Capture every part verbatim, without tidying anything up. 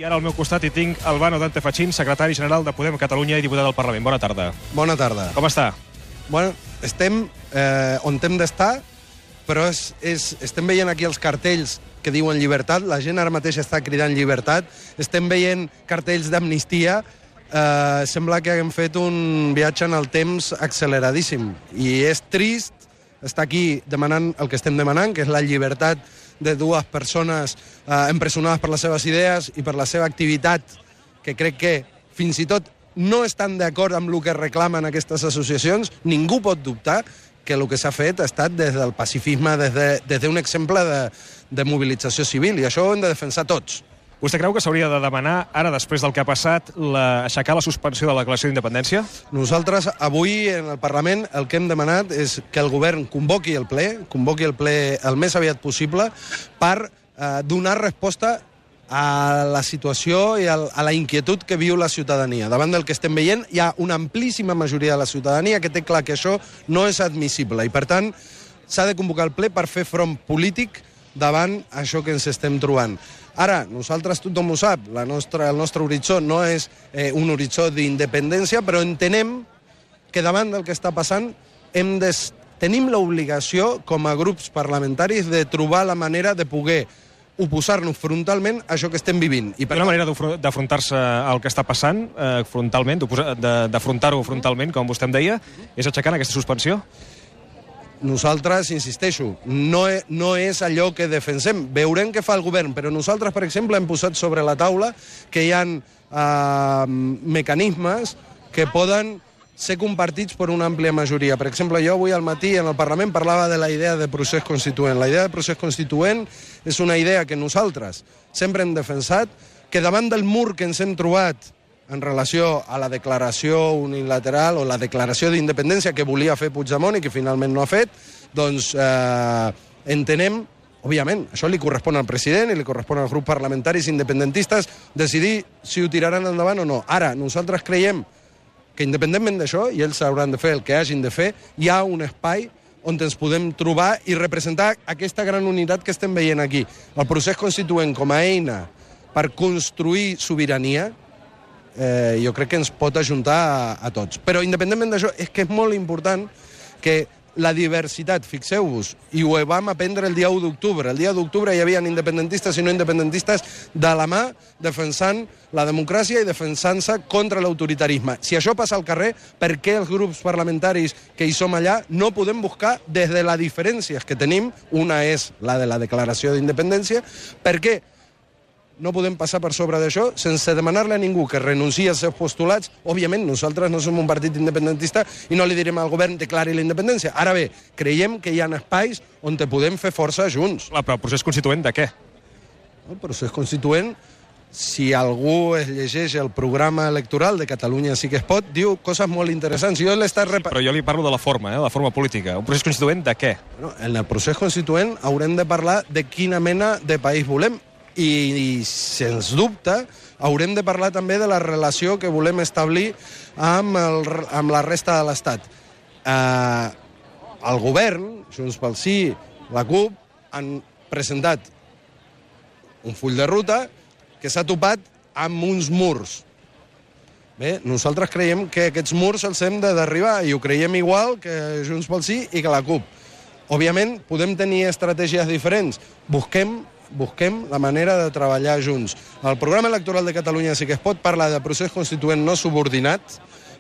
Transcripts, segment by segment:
I ara al meu costat hi tinc Albano Dante Fachin, secretari general de Podem Catalunya i diputat del Parlament. Bona tarda. Bona tarda. Com està? Bueno, estem eh, on hem d'estar, però és, és, estem veient aquí els cartells que diuen llibertat. La gent ara mateix està cridant llibertat. Estem veient cartells d'amnistia. Eh, sembla que haguem fet un viatge en el temps acceleradíssim. I és trist estar aquí demanant el que estem demanant, que és la llibertat de dues persones eh, empresonades per les seves idees i per la seva activitat, que crec que fins i tot no estan d'acord amb el que reclamen aquestes associacions. Ningú pot dubtar que el que s'ha fet ha estat des del pacifisme, des d'un de, des exemple de, de mobilització civil, i això ho hem de defensar tots. Vostè creu que s'hauria de demanar, ara, després del que ha passat, la, aixecar la suspensió de la declaració d'independència? Nosaltres, avui, en el Parlament, el que hem demanat és que el govern convoqui el ple, convoqui el ple el més aviat possible, per eh, donar resposta a la situació i a la inquietud que viu la ciutadania. Davant del que estem veient, hi ha una amplíssima majoria de la ciutadania que té clar que això no és admissible, i per tant s'ha de convocar el ple per fer front polític davant això que ens estem trobant. Ara, nosaltres, tothom ho sap, la nostra, el nostre horitzó no és eh, un horitzó d'independència, però entenem que davant del que està passant hem de, tenim l'obligació, com a grups parlamentaris, de trobar la manera de poder oposar-nos frontalment a això que estem vivint. I per una manera d'afrontar-se al que està passant, eh, frontalment, d'afrontar-ho frontalment, com vostè em deia, és aixecant aquesta suspensió? Nosaltres, insisteixo, no, no és allò que defensem. Veurem què fa el govern, però nosaltres, per exemple, hem posat sobre la taula que hi ha eh, mecanismes que poden ser compartits per una àmplia majoria. Per exemple, jo avui al matí en el Parlament parlava de la idea de procés constituent. La idea de procés constituent és una idea que nosaltres sempre hem defensat, que davant del mur que ens hem trobat en relació a la declaració unilateral o la declaració d'independència que volia fer Puigdemont i que finalment no ha fet, doncs eh, entenem, òbviament, això li correspon al president i li correspon als grups parlamentaris independentistes decidir si ho tiraran endavant o no. Ara, nosaltres creiem que independentment d'això, i ells hauran de fer el que hagin de fer, hi ha un espai on ens podem trobar i representar aquesta gran unitat que estem veient aquí. El procés constituent com a eina per construir sobirania, Eh, jo crec que ens pot ajuntar a, a tots. Però independentment d'això, és que és molt important que la diversitat, fixeu-vos, i ho vam aprendre el dia u d'octubre. El dia d'octubre hi havia independentistes i no independentistes de la mà defensant la democràcia i defensant-se contra l'autoritarisme. Si això passa al carrer, per què els grups parlamentaris que hi som allà no podem buscar des de les diferències que tenim, una és la de la declaració d'independència, per què no podem passar per sobre d'això sense demanar-li a ningú que renunciï als seus postulats? Òbviament, nosaltres no som un partit independentista i no li direm al govern declari la independència. Ara bé, creiem que hi ha espais on te podem fer força junts. Clar, però el procés constituent de què? El procés constituent, si algú es llegeix el programa electoral de Catalunya sí que es pot, diu coses molt interessants. Jo l'he estat rep... Però jo li parlo de la forma, eh, la forma política. Un procés constituent de què? Bueno, en el procés constituent haurem de parlar de quina mena de país volem. I, i sens dubte haurem de parlar també de la relació que volem establir amb, el, amb la resta de l'Estat. Eh, el govern, Junts pel Sí, la CUP, han presentat un full de ruta que s'ha topat amb uns murs. Bé, nosaltres creiem que aquests murs els hem de derribar i ho creiem igual que Junts pel Sí i que la CUP. Òbviament, podem tenir estratègies diferents. Busquem busquem la manera de treballar junts. El programa electoral de Catalunya sí que es pot parlar de procés constituent no subordinat.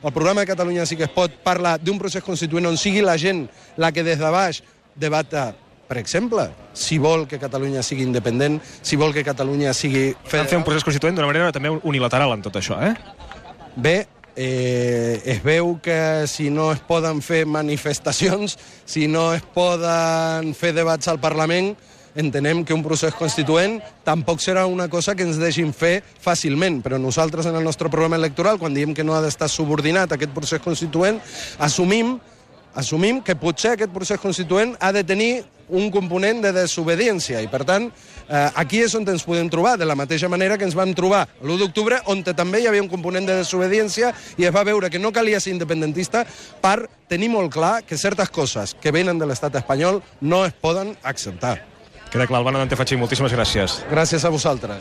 El programa de Catalunya sí que es pot parlar d'un procés constituent on sigui la gent la que des de baix debata, per exemple, si vol que Catalunya sigui independent, si vol que Catalunya sigui federal. Estan fent un procés constituent d'una manera també unilateral en tot això, eh? Bé, eh, es veu que si no es poden fer manifestacions, si no es poden fer debats al Parlament, entenem que un procés constituent tampoc serà una cosa que ens deixin fer fàcilment, però nosaltres en el nostre programa electoral, quan diem que no ha d'estar subordinat a aquest procés constituent, assumim, assumim que potser aquest procés constituent ha de tenir un component de desobediència, i per tant, eh, aquí és on ens podem trobar, de la mateixa manera que ens vam trobar l'u d'octubre, on també hi havia un component de desobediència i es va veure que no calia ser independentista per tenir molt clar que certes coses que venen de l'estat espanyol no es poden acceptar. Queda clar, Albano Dante Fachin, moltíssimes gràcies. Gràcies a vosaltres.